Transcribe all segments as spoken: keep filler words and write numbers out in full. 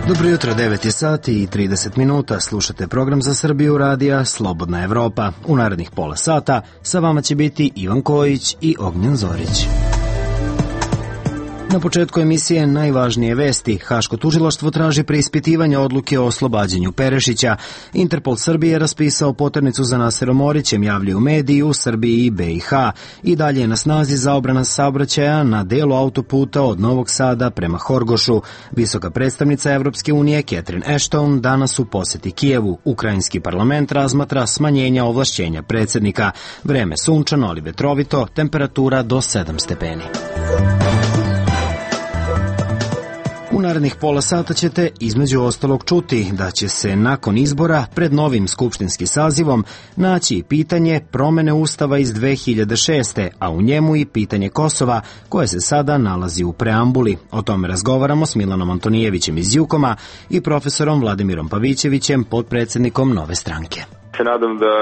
Dobro jutro, devet je sati i trideset minuta. Slušate program za Srbiju radija Slobodna Evropa. U narednih pola sata sa vama će biti Ivan Kojić i Ognjen Zorić. Na početku emisije najvažnije vesti. Haško tužilaštvo traži preispitivanje odluke o oslobađanju Perešića. Interpol Srbije je raspisao poternicu za Naserom Orićem, javljaju mediji u Srbiji i B i H. I dalje je na snazi zabrana saobraćaja na delu autoputa od Novog Sada prema Horgošu. Visoka predstavnica Evropske unije Catherine Ashton danas u poseti Kijevu. Ukrajinski parlament razmatra smanjenja ovlašćenja predsjednika. Vreme sunčano, ali vetrovito, temperatura do sedam stepeni. U narednih pola sata ćete između ostalog čuti da će se nakon izbora pred novim skupštinskim sazivom naći pitanje promene Ustava iz dve hiljade šeste. a u njemu i pitanje Kosova koje se sada nalazi u preambuli. O tome razgovaramo s Milanom Antonijevićem iz Jukoma i profesorom Vladimirom Pavićevićem, potpredsjednikom Nove stranke. Se nadam da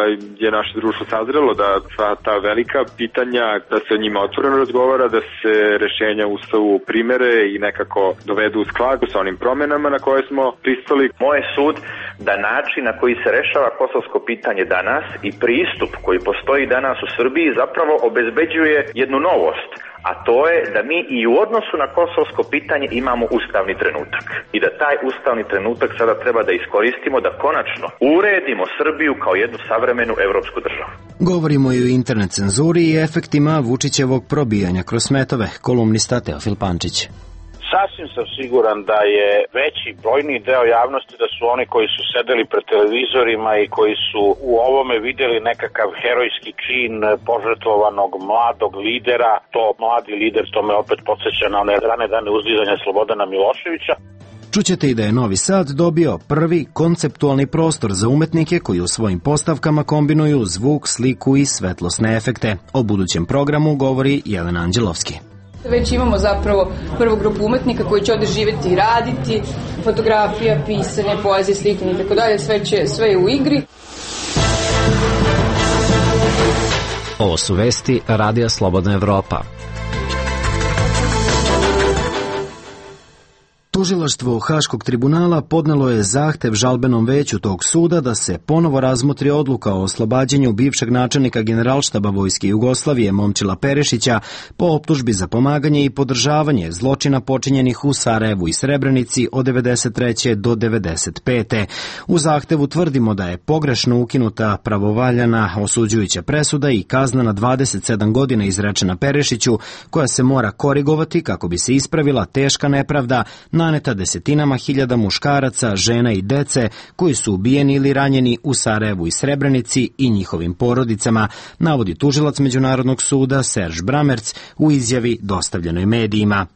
je naše društvo sazrelo da sva ta velika pitanja, da se o njima otvoreno razgovara, da se rešenja u Ustavu primere i nekako dovedu u skladu sa onim promjenama na koje smo pristali. Moj sud da način na koji se rešava kosovsko pitanje danas i pristup koji postoji danas u Srbiji zapravo obezbeđuje jednu novost, a to je da mi i u odnosu na kosovsko pitanje imamo ustavni trenutak i da taj ustavni trenutak sada treba da iskoristimo da konačno uredimo Srbiju kao jednu savremenu evropsku državu. Govorimo i o internet cenzuri i efektima Vučićevog probijanja kroz smetove. Kolumnista Teofil Pančić. Sasvim sam siguran da je veći brojni deo javnosti da su oni koji su sedeli pred televizorima i koji su u ovome vidjeli nekakav herojski čin požrtvovanog mladog lidera. To mladi lider, to me opet podsjeća na one rane dane uzdizanja Slobodana Miloševića. Čućete i da je Novi Sad dobio prvi konceptualni prostor za umetnike koji u svojim postavkama kombinuju zvuk, sliku i svetlosne efekte. O budućem programu govori Jelena Anđelovski. Već imamo zapravo prvu grupu umetnika koji će ovde živjeti i raditi, fotografija, pisanje, poezija, slikanje i tako dalje, sve, će, sve je u igri. Ovo su vesti Radija Slobodna Evropa. Tužilaštvo Haškog tribunala podnelo je zahtev žalbenom veću tog suda da se ponovo razmotri odluka o oslobađanju bivšeg načelnika Generalštaba Vojske Jugoslavije Momčila Perešića po optužbi za pomaganje i podržavanje zločina počinjenih u Sarajevu i Srebrenici od devedeset treće do devedeset pete. U zahtevu tvrdimo da je pogrešno ukinuta pravovaljana osuđujuća presuda i kazna na dvadeset sedam godina izrečena Perešiću, koja se mora korigovati kako bi se ispravila teška nepravda naneta desetinama hiljada muškaraca, žena i dece koji su ubijeni ili ranjeni u Sarajevu i Srebrenici i njihovim porodicama, navodi tužilac Međunarodnog suda Serž Bramerc u izjavi dostavljenoj medijima.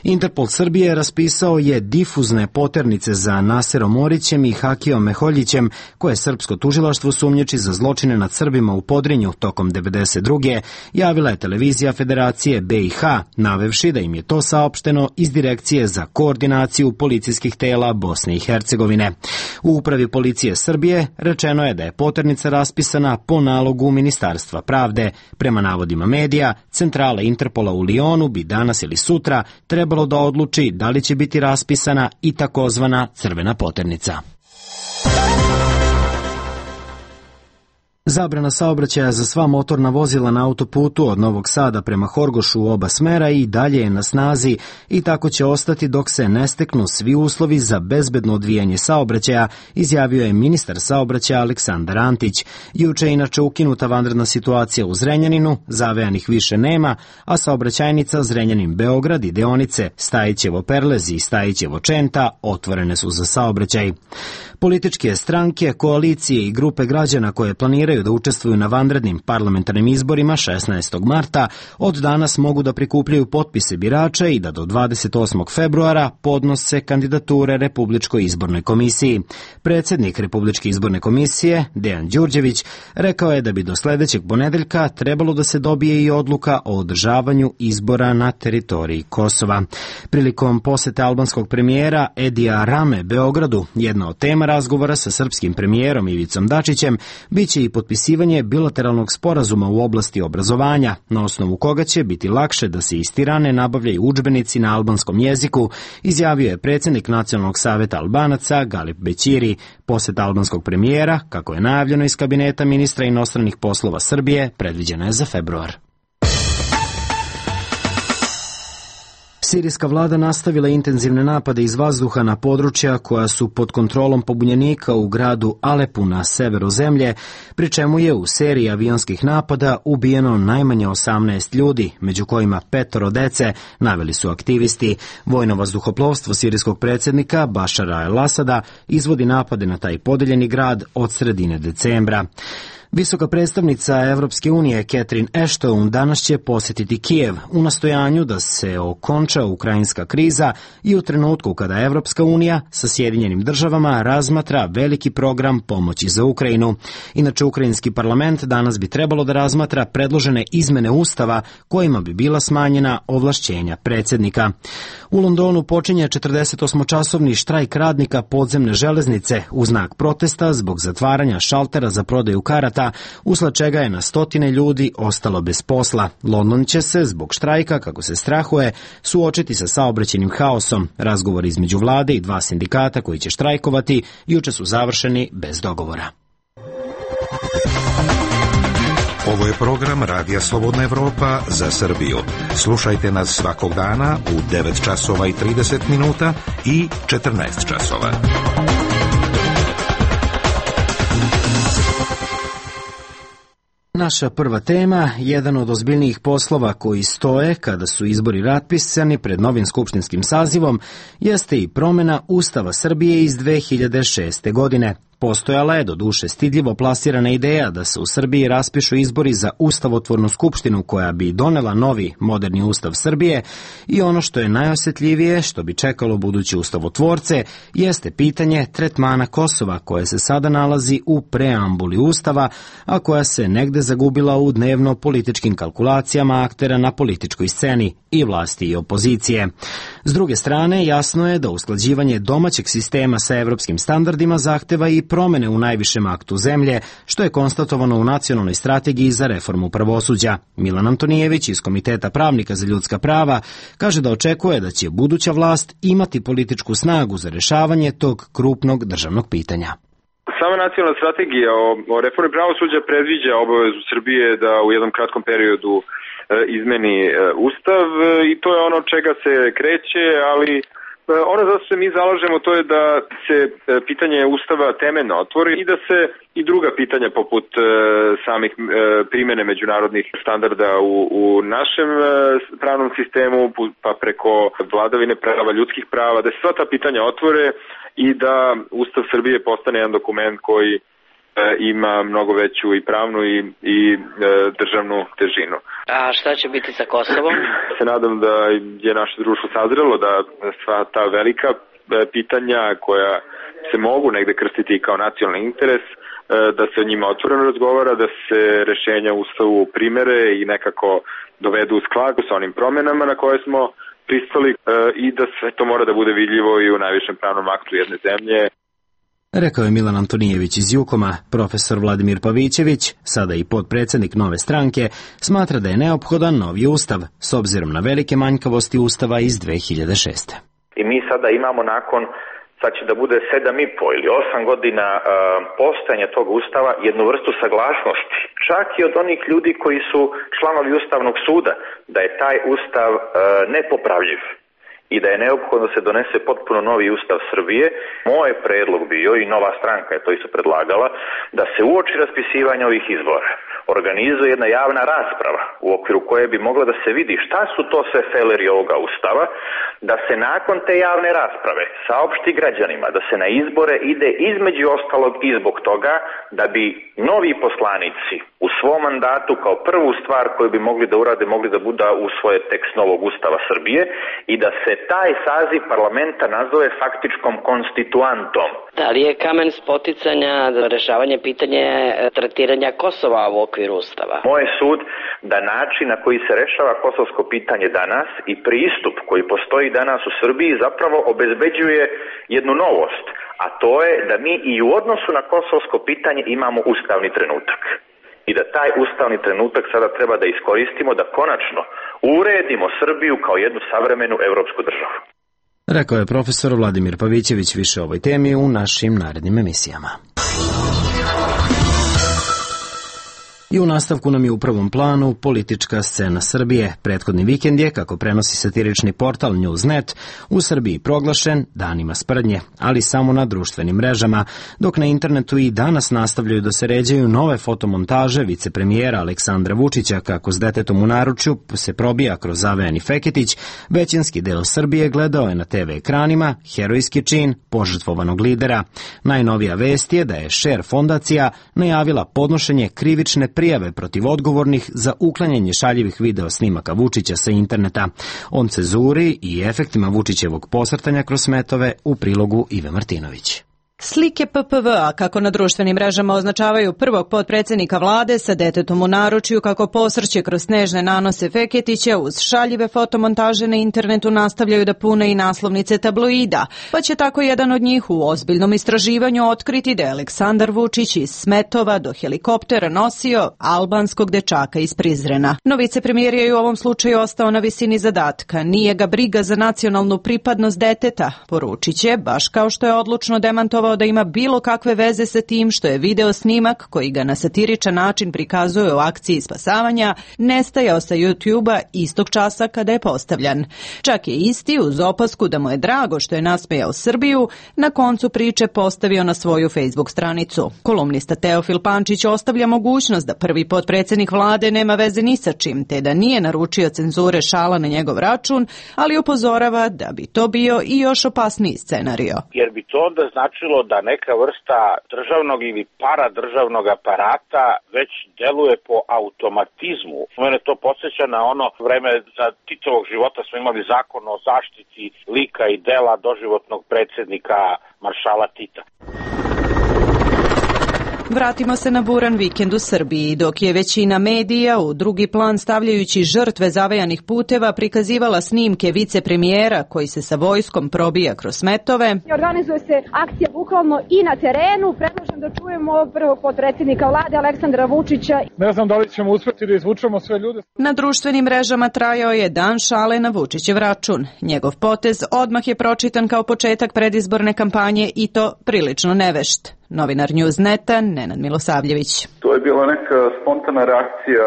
Interpol Srbije raspisao je difuzne poternice za Naserom Orićem i Hakijom Meholjićem, koje srpsko tužilaštvo sumnjiči za zločine nad Srbima u Podrinju tokom devedeset druge. javila je televizija Federacije B i H, navevši da im je to saopšteno iz Direkcije za koordinaciju policijskih tela Bosne i Hercegovine. U upravi policije Srbije rečeno je da je poternica raspisana po nalogu Ministarstva pravde. Prema navodima medija, centrala Interpola u Lionu bi danas ili sutra trebalo da odluči da li će biti raspisana i takozvana crvena poternica. Zabrana saobraćaja za sva motorna vozila na autoputu od Novog Sada prema Horgošu u oba smera i dalje je na snazi i tako će ostati dok se ne steknu svi uslovi za bezbedno odvijanje saobraćaja, izjavio je ministar saobraćaja Aleksandar Antić. Juče je inače ukinuta vanredna situacija u Zrenjaninu, zavejanih više nema, a saobraćajnica Zrenjanin-Beograd i deonice Stajićevo-Perlez i Stajićevo-Čenta otvorene su za saobraćaj. Političke stranke, koalicije i grupe građana koje planiraju da učestvuju na vanrednim parlamentarnim izborima šesnaestog marta od danas mogu da prikupljaju potpise birača i da do dvadeset osmog februara podnose kandidature Republičkoj izbornoj komisiji. Predsjednik Republičke izborne komisije, Dejan Đurđević, rekao je da bi do sledećeg ponedeljka trebalo da se dobije i odluka o održavanju izbora na teritoriji Kosova. Prilikom posete albanskog premijera Edija Rame Beogradu, jedna od tema razgovora sa srpskim premijerom Ivicom Dačićem biće i potpisivanje bilateralnog sporazuma u oblasti obrazovanja, na osnovu koga će biti lakše da se iz Tirane nabavljaju udžbenici na albanskom jeziku, izjavio je predsjednik Nacionalnog saveta Albanaca Galip Bećiri. Poseta albanskog premijera, kako je najavljeno iz kabineta ministra inostranih poslova Srbije, predviđena je za februar. Sirijska vlada nastavila intenzivne napade iz vazduha na područja koja su pod kontrolom pobunjenika u gradu Alepu na severu zemlje, pri čemu je u seriji avionskih napada ubijeno najmanje osamnaest ljudi, među kojima petoro dece, naveli su aktivisti. Vojno vazduhoplovstvo sirijskog predsjednika Bašara el-Asada izvodi napade na taj podeljeni grad od sredine decembra. Visoka predstavnica Evropske unije Catherine Ashton danas će posjetiti Kijev u nastojanju da se okonča ukrajinska kriza i u trenutku kada Evropska unija sa Sjedinjenim državama razmatra veliki program pomoći za Ukrajinu. Inače, ukrajinski parlament danas bi trebalo da razmatra predložene izmene ustava kojima bi bila smanjena ovlašćenja predsjednika. U Londonu počinje četrdesetosmočasovni štrajk radnika podzemne železnice u znak protesta zbog zatvaranja šaltera za prodaju karata, usled čega je na stotine ljudi ostalo bez posla. London će se zbog štrajka, kako se strahuje, suočiti sa saobraćajnim haosom. Razgovori između vlade i dva sindikata koji će štrajkovati juče su završeni bez dogovora. Ovo je program Radija Slobodna Evropa za Srbiju. Slušajte nas svakog dana u devet časova i trideset minuta i četrnaest časova. Naša prva tema, jedan od ozbiljnijih poslova koji stoje kada su izbori raspisani pred novim skupštinskim sazivom, jeste i promjena Ustava Srbije iz dve hiljade šeste. godine. Postojala je doduše stidljivo plasirana ideja da se u Srbiji raspišu izbori za ustavotvornu skupštinu koja bi donela novi moderni ustav Srbije i ono što je najosjetljivije, što bi čekalo buduće ustavotvorce, jeste pitanje tretmana Kosova koje se sada nalazi u preambuli ustava, a koja se negde zagubila u dnevno političkim kalkulacijama aktera na političkoj sceni i vlasti i opozicije. S druge strane, jasno je da usklađivanje domaćeg sistema sa evropskim standardima zahteva i promene u najvišem aktu zemlje, što je konstatovano u nacionalnoj strategiji za reformu pravosuđa. Milan Antonijević iz Komiteta pravnika za ljudska prava kaže da očekuje da će buduća vlast imati političku snagu za rešavanje tog krupnog državnog pitanja. Sama nacionalna strategija o, o reformi pravosuđa predviđa obavezu Srbije da u jednom kratkom periodu e, izmeni e, ustav e, i to je ono čega se kreće, ali ono za što se mi zalažemo to je da se pitanje ustava temeljno otvori i da se i druga pitanja poput e, samih e, primjene međunarodnih standarda u, u našem e, pravnom sistemu, pa preko vladavine prava, ljudskih prava, da se sva ta pitanja otvore i da Ustav Srbije postane jedan dokument koji e, ima mnogo veću i pravnu i, i e, državnu težinu. A šta će biti sa Kosovom? Se nadam da je naše društvo sazrelo da sva ta velika pitanja koja se mogu negde krstiti kao nacionalni interes, da se o njima otvoreno razgovara, da se rešenja u Ustavu primere i nekako dovedu u skladu sa onim promjenama na koje smo pristali i da sve to mora da bude vidljivo i u najvišem pravnom aktu jedne zemlje. Rekao je Milan Antonijević iz Jukoma. Profesor Vladimir Pavićević, sada i potpredsjednik Nove stranke, smatra da je neophodan novi ustav, s obzirom na velike manjkavosti ustava iz dve hiljade šeste. I mi sada imamo nakon, sad će da bude sedam i po ili osam godina uh, postojanja tog ustava, jednu vrstu saglasnosti, čak i od onih ljudi koji su članovi Ustavnog suda, da je taj ustav uh, nepopravljiv i da je neophodno se donese potpuno novi ustav Srbije. Moj predlog bio, i Nova stranka je to isto predlagala, da se uoči raspisivanja ovih izbora organizuje jedna javna rasprava u okviru koje bi mogla da se vidi šta su to sve feleri ovoga ustava, da se nakon te javne rasprave saopšti građanima da se na izbore ide između ostalog i zbog toga da bi novi poslanici u svom mandatu kao prvu stvar koju bi mogli da urade, mogli da budu usvoje tekst novog ustava Srbije i da se taj saziv parlamenta nazove faktičkom konstituantom. Da li je kamen spoticanja za rešavanje pitanje tretiranja Kosova u okviru ustava? Moj sud da način na koji se rešava kosovsko pitanje danas i pristup koji postoji danas u Srbiji zapravo obezbeđuje jednu novost, a to je da mi i u odnosu na kosovsko pitanje imamo ustavni trenutak. I da taj ustavni trenutak sada treba da iskoristimo da konačno uredimo Srbiju kao jednu savremenu evropsku državu. Rekao je profesor Vladimir Pavićević. Više o ovoj temi u našim narednim emisijama. I u nastavku nam je u prvom planu politička scena Srbije. Prethodni vikend je, kako prenosi satirični portal Newsnet, u Srbiji proglašen danima sprdnje, ali samo na društvenim mrežama, dok na internetu i danas nastavljaju da se ređaju nove fotomontaže vicepremijera Aleksandra Vučića kako s detetom u naručju se probija kroz zavejani Feketić. Većinski deo Srbije gledao je na te ve ekranima herojski čin požrtvovanog lidera. Najnovija vest je da je Share fondacija najavila podnošenje krivične prijave protiv odgovornih za uklanjanje šaljivih video snimaka Vučića sa interneta. On cenzuri i efektima Vučićevog posrtanja kroz smetove u prilogu Ive Martinović. Slike pe pe ve a, kako na društvenim mrežama označavaju prvog potpredsjednika vlade sa detetom u naručju kako posrće kroz snežne nanose Feketića, uz šaljive fotomontaže na internetu nastavljaju da pune i naslovnice tabloida, pa će tako jedan od njih u ozbiljnom istraživanju otkriti da je Aleksandar Vučić iz smetova do helikoptera nosio albanskog dečaka iz Prizrena. No vicepremijer je u ovom slučaju ostao na visini zadatka. Nije ga briga za nacionalnu pripadnost deteta, poručit će, baš kao što je odlučno demantovao da ima bilo kakve veze sa tim što je video snimak koji ga na satiričan način prikazuje u akciji spasavanja nestajao sa YouTube-a istog časa kada je postavljan. Čak je isti, uz opasku da mu je drago što je nasmejao Srbiju, na koncu priče postavio na svoju Facebook stranicu. Kolumnista Teofil Pančić ostavlja mogućnost da prvi potpredsjednik vlade nema veze ni sa čim, te da nije naručio cenzure šala na njegov račun, ali upozorava da bi to bio i još opasniji scenario. Jer bi to onda značilo da neka vrsta državnog ili paradržavnog aparata već deluje po automatizmu. Mene to podsjeća na ono vreme za Titovog života smo imali zakon o zaštiti lika i dela doživotnog predsjednika maršala Tita. Vratimo se na buran vikend u Srbiji, dok je većina medija u drugi plan stavljajući žrtve zavejanih puteva prikazivala snimke vicepremijera koji se sa vojskom probija kroz smetove. Organizuje se akcija bukvalno i na terenu. Predlažem da čujemo prvog potpredsjednika vlade Aleksandra Vučića. Ne znam da li ćemo uspjeti da izvučemo sve ljude. Na društvenim mrežama trajao je dan šale na Vučićev račun. Njegov potez odmah je pročitan kao početak predizborne kampanje i to prilično nevešt. Novinar Newsneta Nenad Milosavljević. To je bila neka spontana reakcija,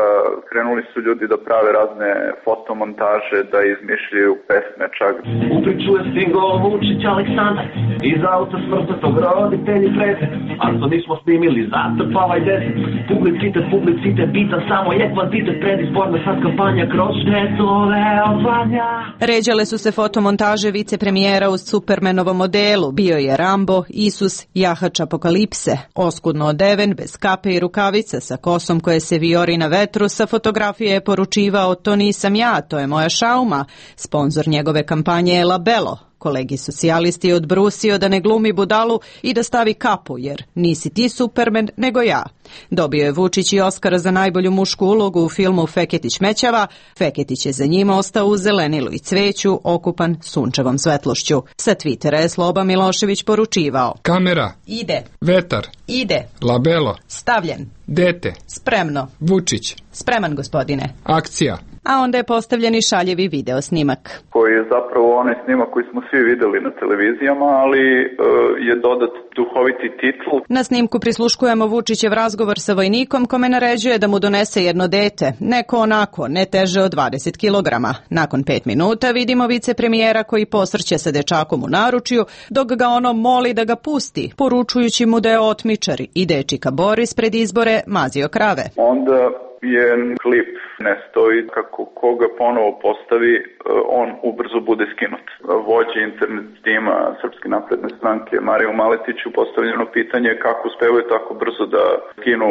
krenuli su ljudi da prave razne fotomontaže, da izmišljaju pesme čak. U priču je stigao Vučić Aleksandar, iz auta smrtnog roditelji prete, a što nismo snimili zatrpavaj deset. Publicitet, publicitet, bitan samo je kvantitet, predizborna sad kampanja kroz štetove odvanja. Ređale su se fotomontaže vicepremijera uz Supermanovom modelu, bio je Rambo, Isus, jahač apokalipse. Lipse, oskudno odeven, bez kape i rukavica, sa kosom koje se vijori na vetru, sa fotografije je poručivao to nisam ja, to je moja šauma. Sponzor njegove kampanje je Labelo. Kolegi socijalisti je odbrusio da ne glumi budalu i da stavi kapu, jer nisi ti Superman, nego ja. Dobio je Vučić i Oskara za najbolju mušku ulogu u filmu Feketić mećava. Feketić je za njima ostao u zelenilu i cveću, okupan sunčevom svetlošću. Sa Twittera je Sloba Milošević poručivao: kamera, ide, vetar, ide, labelo, stavljen, dete, spremno, Vučić, spreman gospodine, akcija. A onda je postavljen i šaljevi video snimak. Koji je zapravo onaj snimak koji smo svi videli na televizijama, ali e, je dodat duhoviti titl. Na snimku prisluškujemo Vučićev razgovor sa vojnikom kome naređuje da mu donese jedno dete, neko onako, ne teže od dvadeset kilograma. Nakon pet minuta vidimo vicepremijera koji posrće sa dečakom u naručju, dok ga ono moli da ga pusti, poručujući mu da je otmičar i dečika Boris pred izbore mazio krave. Onda je klip ne stoji, kako koga ponovo postavi, on ubrzo bude skinut. Vođe internet tima Srpske napredne stranke Mariju Maletiću postavljeno pitanje kako uspevaju tako brzo da skinu,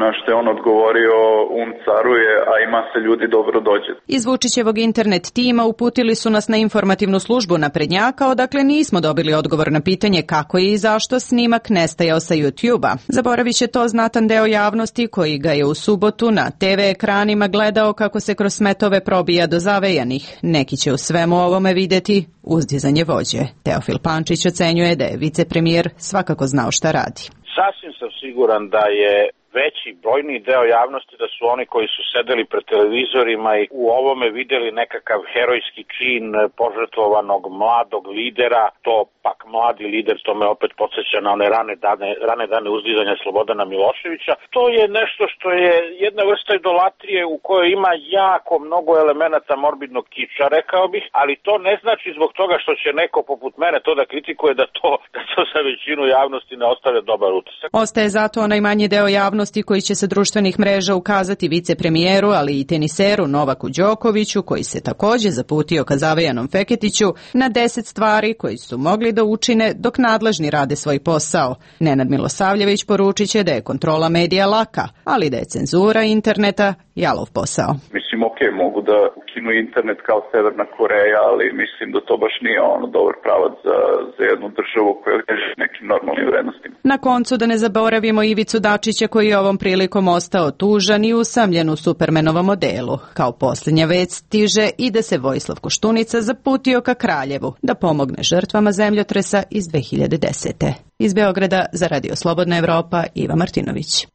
na što je on odgovorio, um caruje, a ima se ljudi dobro dođe. Iz Vučićevog internet tima uputili su nas na informativnu službu naprednjaka, odakle nismo dobili odgovor na pitanje kako je i zašto snimak nestajao sa YouTube-a. Zaboravit će to znatan deo javnosti koji ga je u subotu na te ve ekranima gledao kako se kroz smetove probija do zavejanih. Neki će u svemu ovome videti uzdizanje vođe. Teofil Pančić ocenjuje da je vicepremijer svakako znao šta radi. Sasvim sam siguran da je veći brojni deo javnosti da su oni koji su sedeli pred televizorima i u ovome videli nekakav herojski čin požrtvovanog mladog lidera. To pak mladi lider, to me opet podsjeća na one rane dane, rane dane uzdizanja Slobodana Miloševića. To je nešto što je jedna vrsta idolatrije u kojoj ima jako mnogo elemenata morbidnog kiča, rekao bih, ali to ne znači zbog toga što će neko poput mene to da kritikuje da to, da to za većinu javnosti ne ostavlja dobar utisak. Ostaje zato onaj manji deo javnosti koji će sa društvenih mreža ukazati vicepremijeru, ali i teniseru Novaku Đokoviću, koji se takođe zaputio ka zavejanom Feketiću, na deset stvari koji su mogli da učine dok nadležni rade svoj posao. Nenad Milosavljević poručit će da je kontrola medija laka, ali da je cenzura interneta jalov posao. Mislim, ok, mogu da ukinu internet kao Severna Koreja, ali mislim da to baš nije ono dobar pravac za, za jednu državu koja teži nekim normalnim vrednostima. Na koncu da ne zaboravimo Ivicu Dačića, koji je ovom prilikom ostao tužan i usamljen u Supermanovom modelu. Kao posljednja vest stiže i da se Vojislav Koštunica zaputio ka Kraljevu da pomogne žrtvama zemljotresa iz dve hiljade desete. Iz Beograda za Radio Slobodna Evropa, Iva Martinović.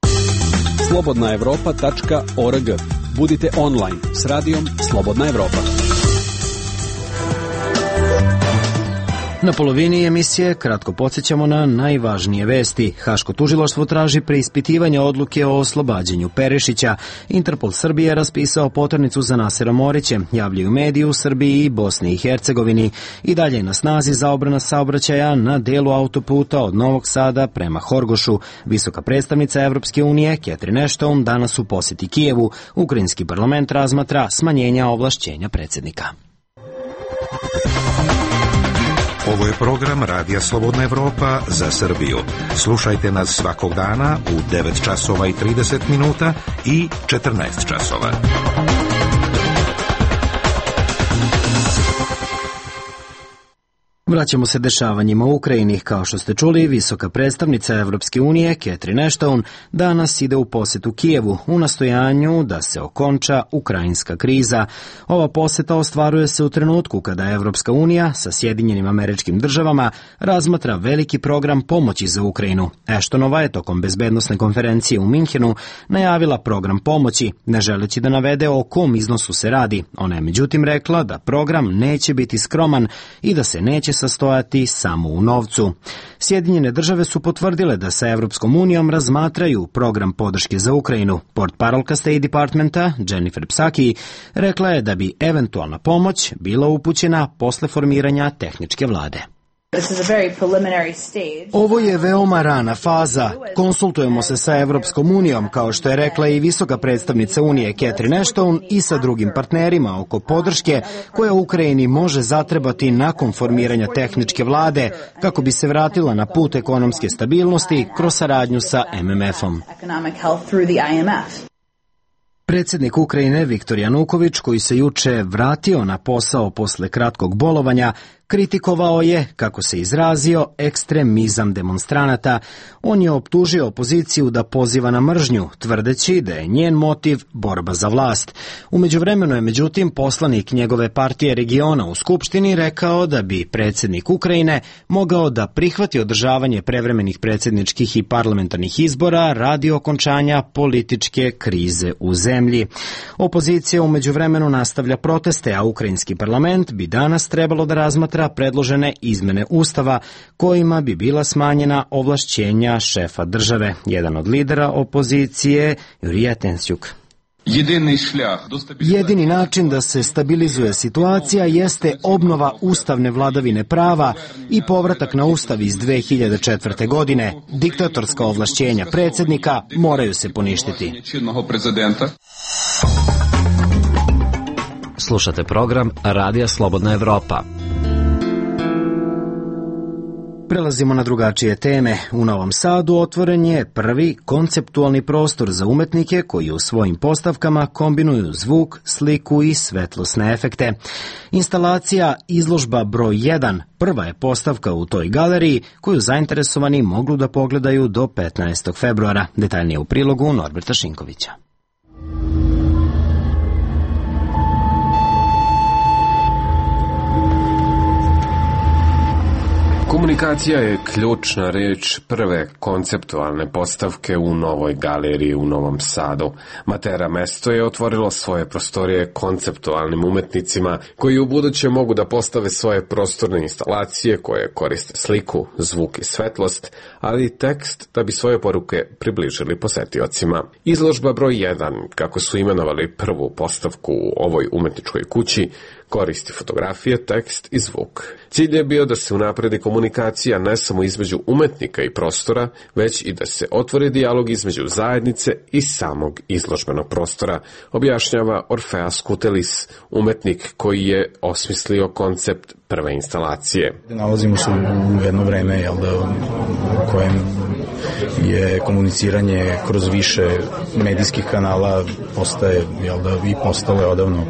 slobodna evropa tačka org. Budite online s radijom Slobodna Evropa. Na polovini emisije kratko podsjećamo na najvažnije vesti. Haško tužilaštvo traži preispitivanje odluke o oslobađanju Perešića. Interpol Srbije raspisao poternicu za Nasera Moriće, javljaju mediji u Srbiji i Bosni i Hercegovini. I dalje je na snazi zabrana saobraćaja na delu autoputa od Novog Sada prema Horgošu. Visoka predstavnica Evropske unije Catherine Ashton danas u posjeti Kijevu. Ukrajinski parlament razmatra smanjenja ovlašćenja predsjednika. Ovo je program Radija Slobodna Evropa za Srbiju. Slušajte nas svakog dana u devet časova i trideset minuta i četrnaest časova. Vraćamo se dešavanjima u Ukrajini. Kao što ste čuli, visoka predstavnica Evropske unije Catherine Ashton danas ide u posjetu Kijevu u nastojanju da se okonča ukrajinska kriza. Ova posjeta ostvaruje se u trenutku kada Evropska unija sa Sjedinjenim Američkim Državama razmatra veliki program pomoći za Ukrajinu. Ashtonova je tokom bezbednosne konferencije u Minhenu najavila program pomoći, ne želeći da navede o kom iznosu se radi. Ona je međutim rekla da program neće biti skroman i da se neće sastojati samo u novcu. Sjedinjene države su potvrdile da sa Evropskom unijom razmatraju program podrške za Ukrajinu. Portparolka State Departmenta Jennifer Psaki rekla je da bi eventualna pomoć bila upućena posle formiranja tehničke vlade. Ovo je veoma rana faza. Konsultujemo se sa Evropskom unijom, kao što je rekla i visoka predstavnica Unije Catherine Ashton, i sa drugim partnerima oko podrške koja Ukrajini može zatrebati nakon formiranja tehničke vlade kako bi se vratila na put ekonomske stabilnosti kroz saradnju sa M M F-om. Predsjednik Ukrajine Viktor Januković, koji se juče vratio na posao posle kratkog bolovanja, kritikovao je, kako se izrazio, ekstremizam demonstranata. On je optužio opoziciju da poziva na mržnju, tvrdeći da je njen motiv borba za vlast. U međuvremenu je međutim poslanik njegove partije regiona u Skupštini rekao da bi predsjednik Ukrajine mogao da prihvati održavanje prevremenih predsjedničkih i parlamentarnih izbora radi okončanja političke krize u zemlji. Opozicija u međuvremenu nastavlja proteste, a ukrajinski parlament bi danas trebalo da razmatra predložene izmene Ustava kojima bi bila smanjena ovlašćenja šefa države. Jedan od lidera opozicije, Jurija Tensjuk. Jedini način da se stabilizuje situacija jeste obnova ustavne vladavine prava i povratak na ustav iz dve hiljade četvrte. godine. Diktatorska ovlašćenja predsjednika moraju se poništiti. Slušate program Radija Slobodna Evropa. Prelazimo na drugačije teme. U Novom Sadu otvoren je prvi konceptualni prostor za umetnike koji u svojim postavkama kombinuju zvuk, sliku i svetlosne efekte. Instalacija Izložba broj jedan prva je postavka u toj galeriji koju zainteresovani mogu da pogledaju do petnaestog februara. Detaljnije u prilogu Norberta Šinkovića. Komunikacija je ključna reč prve konceptualne postavke u novoj galeriji u Novom Sadu. Matera Mesto je otvorilo svoje prostorije konceptualnim umetnicima koji u buduće mogu da postave svoje prostorne instalacije koje koriste sliku, zvuk i svetlost, ali i tekst da bi svoje poruke približili posetiocima. Izložba broj jedan, kako su imenovali prvu postavku u ovoj umetničkoj kući, koristi fotografije, tekst i zvuk. Cilj je bio da se unapredi komunikacija ne samo između umetnika i prostora, već i da se otvori dijalog između zajednice i samog izložbenog prostora, objašnjava Orfeas Kutelis, umetnik koji je osmislio koncept prve instalacije. Nalazimo se u jedno vreme jel da, u kojem je komuniciranje kroz više medijskih kanala postaje, jel da, i postalo je odavno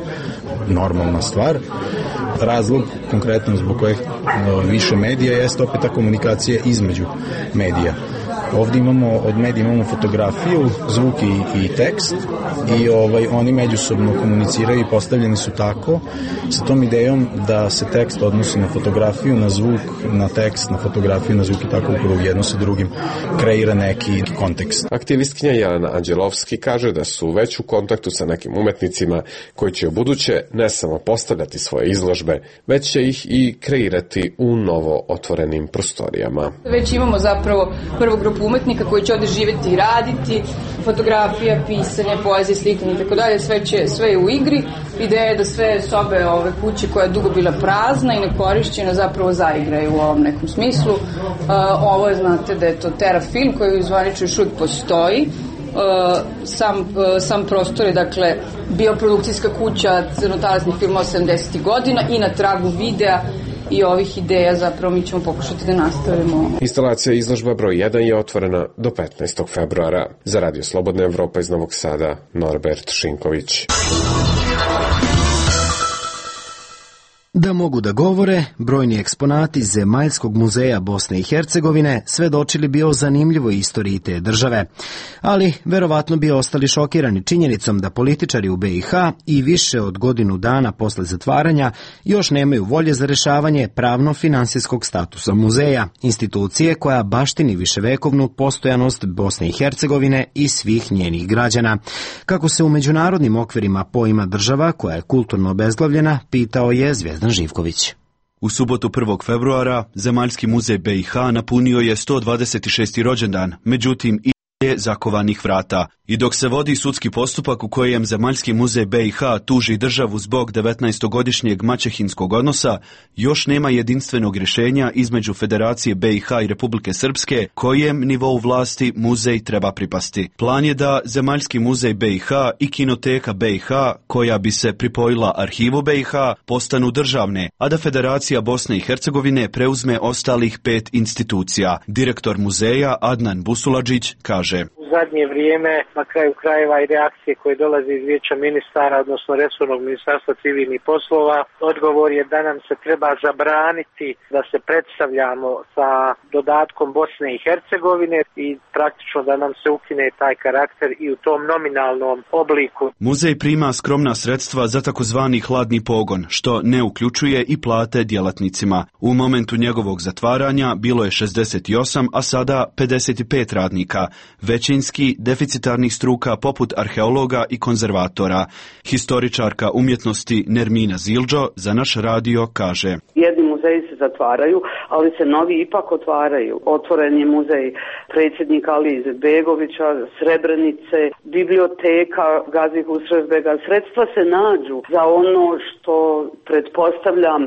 normalna stvar. Razlog konkretno zbog kojeg više medija jeste opet ta komunikacija između medija. Ovdje imamo, od medija imamo fotografiju, zvuk i, i tekst i ovaj, oni međusobno komuniciraju i postavljeni su tako sa tom idejom da se tekst odnosi na fotografiju, na zvuk, na tekst, na fotografiju, na zvuk i tako upravo jedno sa drugim kreira neki kontekst. Aktivistkinja Jelena Anđelovski kaže da su već u kontaktu sa nekim umetnicima koji će u buduće ne samo postavljati svoje izložbe, već će ih i kreirati u novo otvorenim prostorijama. Već imamo zapravo prvu grupu umetnika koji će ovde živeti i raditi, fotografija, pisanje, poezija, slikanje i tako dalje, sve će, sve je u igri. Ideja je da sve sobe ove kuće koja je dugo bila prazna i nekorišćena zapravo zaigraju u ovom nekom smislu. Uh, ovo je, znate da je to Terafilm koji u zvaniču još uvijek postoji. Uh, sam, uh, sam prostor je dakle bioprodukcijska kuća crnotalasnih filmova sedamdesetih godina i na tragu videa i ovih ideja zapravo mi ćemo pokušati da nastavimo. Instalacija izložba broj jedan je otvorena do petnaestog februara. Za Radio Slobodna Evropa iz Novog Sada, Norbert Šinković. Da mogu da govore, brojni eksponati Zemaljskog muzeja Bosne i Hercegovine svedočili bi o zanimljivoj istoriji te države. Ali, verovatno bi ostali šokirani činjenicom da političari u be i ha i više od godinu dana posle zatvaranja još nemaju volje za rešavanje pravno-finansijskog statusa muzeja, institucije koja baštini viševekovnu postojanost Bosne i Hercegovine i svih njenih građana. Kako se u međunarodnim okvirima poima država koja je kulturno obezglavljena, pitao je Zvijezdan Živković. U subotu prvog februara Zemaljski muzej be i ha napunio je sto dvadeset šesti rođendan, međutim i je zakovanih vrata. I dok se vodi sudski postupak u kojem Zemaljski muzej be i ha tuži državu zbog devetnaestogodišnjeg maćehinskog odnosa, još nema jedinstvenog rješenja između Federacije be i ha i Republike Srpske kojem nivou vlasti muzej treba pripasti. Plan je da Zemaljski muzej be i ha i Kinoteka be i ha, koja bi se pripojila arhivu be i ha, postanu državne, a da Federacija Bosne i Hercegovine preuzme ostalih pet institucija. Direktor muzeja Adnan Busuladžić kaže: U zadnje vrijeme, na kraju krajeva i reakcije koje dolaze iz Vijeća ministara, odnosno resornog ministarstva civilnih poslova, odgovor je da nam se treba zabraniti da se predstavljamo sa dodatkom Bosne i Hercegovine i praktično da nam se ukine taj karakter i u tom nominalnom obliku. Muzej prima skromna sredstva za takozvani hladni pogon, što ne uključuje i plate djelatnicima. U momentu njegovog zatvaranja bilo je šezdeset osam, a sada pedeset pet radnika. Većinski deficitarnih struka poput arheologa i konzervatora. Historičarka umjetnosti Nermina Zildžo za naš radio kaže: Jedni muzeji se zatvaraju, ali se novi ipak otvaraju. Otvoren je muzej predsjednika Alije Izetbegovića, Srebrenice, biblioteka Gazi Husrevbega. Sredstva se nađu za ono što, pretpostavljam,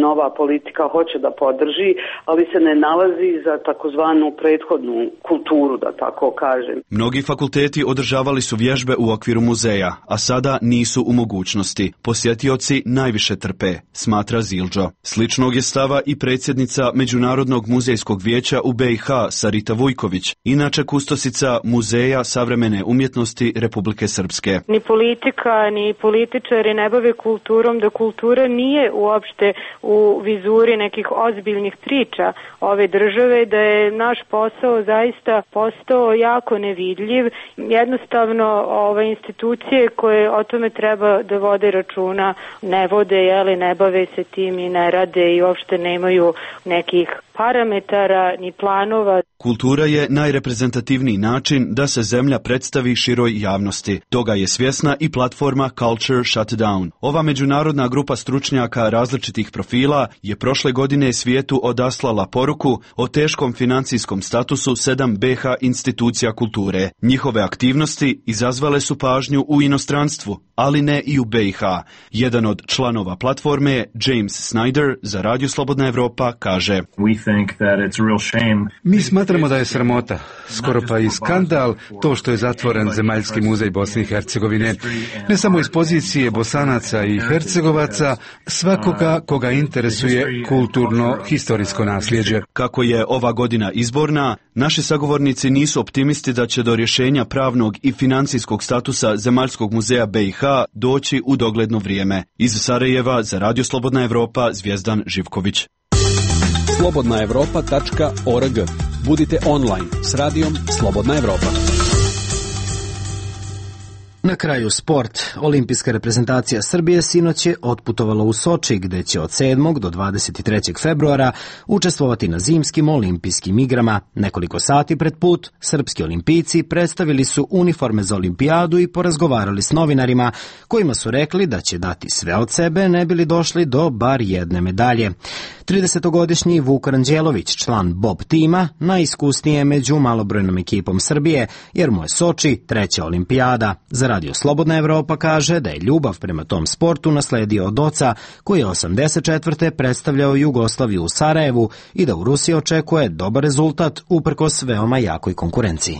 nova politika hoće da podrži, ali se ne nalazi za takozvanu prethodnu kulturu, da tako kažem. Mnogi fakulteti održavali su vježbe u okviru muzeja, a sada nisu u mogućnosti. Posjetioci najviše trpe, smatra Zildžo. Sličnog je stava i predsjednica Međunarodnog muzejskog vijeća u be i ha Sarita Vujković, inače kustosica Muzeja savremene umjetnosti Republike Srpske. Ni politika, ni političari ne bave kulturom, da kultura nije uopšte u vizuri nekih ozbiljnih priča ove države, da je naš posao zaista postao jako nevidljiv. Jednostavno ove institucije koje o tome treba da vode računa ne vode, jeli, ne bave se tim i ne rade i uopšte nemaju nekih parametara ni planova. Kultura je najreprezentativniji način da se zemlja predstavi široj javnosti. Toga je svjesna i platforma Culture Shutdown. Ova međunarodna grupa stručnjaka različitih profila je prošle godine svijetu odaslala poruku o teškom financijskom statusu sedam B H institucija kulture. Njihove aktivnosti izazvale su pažnju u inostranstvu, ali ne i u B i H. Jedan od članova platforme, James Snyder, za Radio Slobodna Evropa kaže: Mi smatramo da je sramota, skoro pa i skandal, to što je zatvoren Zemaljski muzej Bosne i Hercegovine, ne samo iz pozicije Bosanaca i Hercegovaca, svakoga koga interesuje kulturno-historijsko nasljeđe. Kako je ova godina izborna, naši sagovornici nisu optimisti da će do rješenja pravnog i financijskog statusa Zemaljskog muzeja B i H doći u dogledno vrijeme. Iz Sarajeva za Radio Slobodna Evropa, Zvijezdan Živković. slobodna evropa tačka org. Budite online s radijom Slobodna Evropa. Na kraju sport. Olimpijska reprezentacija Srbije sinoć je otputovala u Soči, gde će od sedmog do dvadeset trećeg februara učestvovati na zimskim olimpijskim igrama. Nekoliko sati pred put, srpski olimpijci predstavili su uniforme za olimpijadu i porazgovarali s novinarima, kojima su rekli da će dati sve od sebe, ne bili došli do bar jedne medalje. tridesetogodišnji Vuk Ranđelović, član Bob tima, najiskusnije je među malobrojnom ekipom Srbije, jer mu je Soči treća olimpijada. Za Radio Slobodna Evropa kaže da je ljubav prema tom sportu nasledio od oca, koji je osamdeset četvrte predstavljao Jugoslaviju u Sarajevu i da u Rusiji očekuje dobar rezultat uprkos veoma jakoj konkurenciji.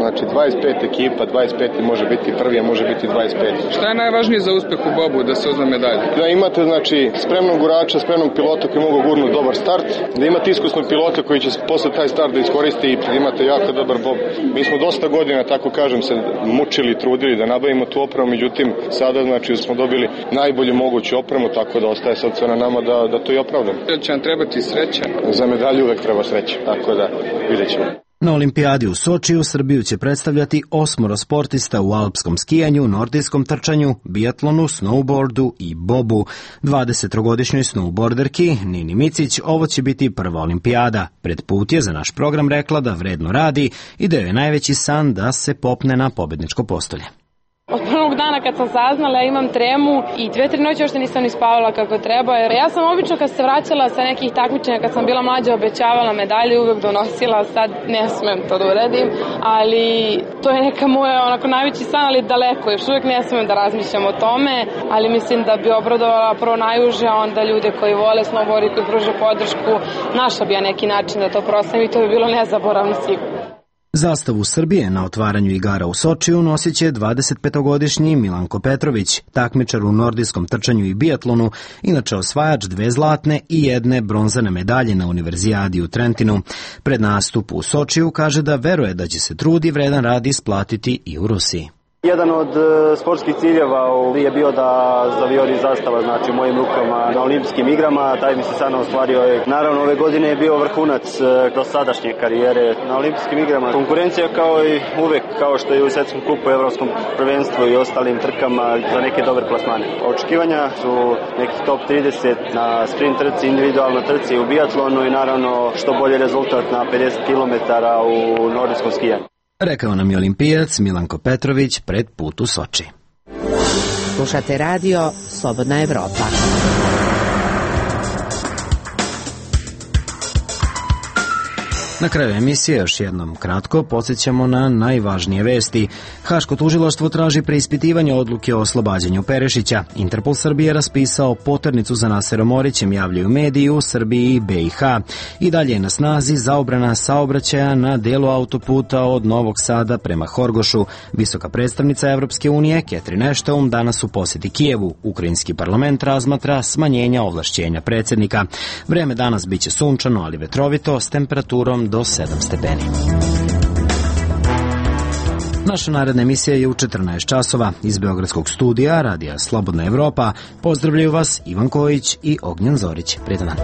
Znači dvadeset pet ekipa, dvadeset pet može biti prvi, a može biti dvadeset pet. Šta je najvažnije za uspeh u bobu da se uzme medalje? Da imate znači spremnog gurača, spremnog pilota koji mogu gurnuti dobar start, da imate iskusnog pilota koji će posle taj start da iskoristi i da imate jako dobar bob. Mi smo dosta godina, tako kažem, se mučili, trudili da nabavimo tu opremu, međutim sada znači smo dobili najbolju moguću opremu, tako da ostaje sad sve na nama da, da to i opravdamo. Da će nam trebati sreća? Za medalju uvek treba sreća, tako da vidjet ćemo. Na olimpijadi u Sočiju Srbiju će predstavljati osmoro sportista u alpskom skijanju, nordijskom trčanju, biatlonu, snowboardu i bobu. dvadesetogodišnjoj snowboarderki Nini Micić ovo će biti prva olimpijada. Pred put je za naš program rekla da vredno radi i da joj je najveći san da se popne na pobedničko postolje. Od prvog dana kad sam saznala ja imam tremu i dve, tri noći još nisam ni spavala kako treba, jer ja sam obično kad se vraćala sa nekih takmičenja, kad sam bila mlađa, obećavala medalje, uvek donosila, sad ne smem to da uradim, ali to je neka moja onako najveći san, ali daleko, još uvek ne smem da razmišljam o tome, ali mislim da bi obradovala prvo najuže, a onda ljude koji vole snowboard i koji pruže podršku, našla bi ja neki način da to proslavim i to bi bilo nezaboravno sigurno. Zastavu Srbije na otvaranju igara u Sočiju nosit će dvadesetpetogodišnji Milanko Petrović, takmičar u nordijskom trčanju i biatlonu, inače osvajač dve zlatne i jedne bronzane medalje na Univerzijadi u Trentinu. Pred nastup u Sočiju kaže da veruje da će se trud i vredan rad isplatiti i u Rusiji. Jedan od sportskih ciljeva je bio da zavijori zastava znači u mojim rukama na olimpijskim igrama, taj mi se sad ostvario. Naravno ove godine je bio vrhunac do sadašnje karijere na olimpijskim igrama. Konkurencija kao i uvek, kao što je u svjetskom kupu, evropskom prvenstvu i ostalim trkama za neke dobre plasmane. Očekivanja su nekih top trideset na sprint trci, individualna trci u biatlonu i naravno što bolji rezultat na pedeset kilometara u nordijskom skijanju. Rekao nam je olimpijac Milanko Petrović pred put u Soči. Slušate radio Slobodna Evropa. Na kraju emisije još jednom kratko podsjećamo na najvažnije vesti. Haško tužilaštvo traži preispitivanje odluke o oslobađanju Perešića. Interpol Srbije raspisao poternicu za Naserom Orićem, javljaju mediji u Srbiji i B i H. I dalje je na snazi zaobrana saobraćaja na delu autoputa od Novog Sada prema Horgošu. Visoka predstavnica Evropske unije Catherine Ashton danas u posjeti Kijevu. Ukrajinski parlament razmatra smanjenja ovlašćenja predsjednika. Vreme danas biće sunčano, ali vetrovito, s temperaturom do sedam stepeni. Naša naredna emisija je u četrnaest časova. Iz Beogradskog studija Radija Slobodna Evropa pozdravljaju vas Ivan Kojić i Ognjen Zorić. Prijetan dan.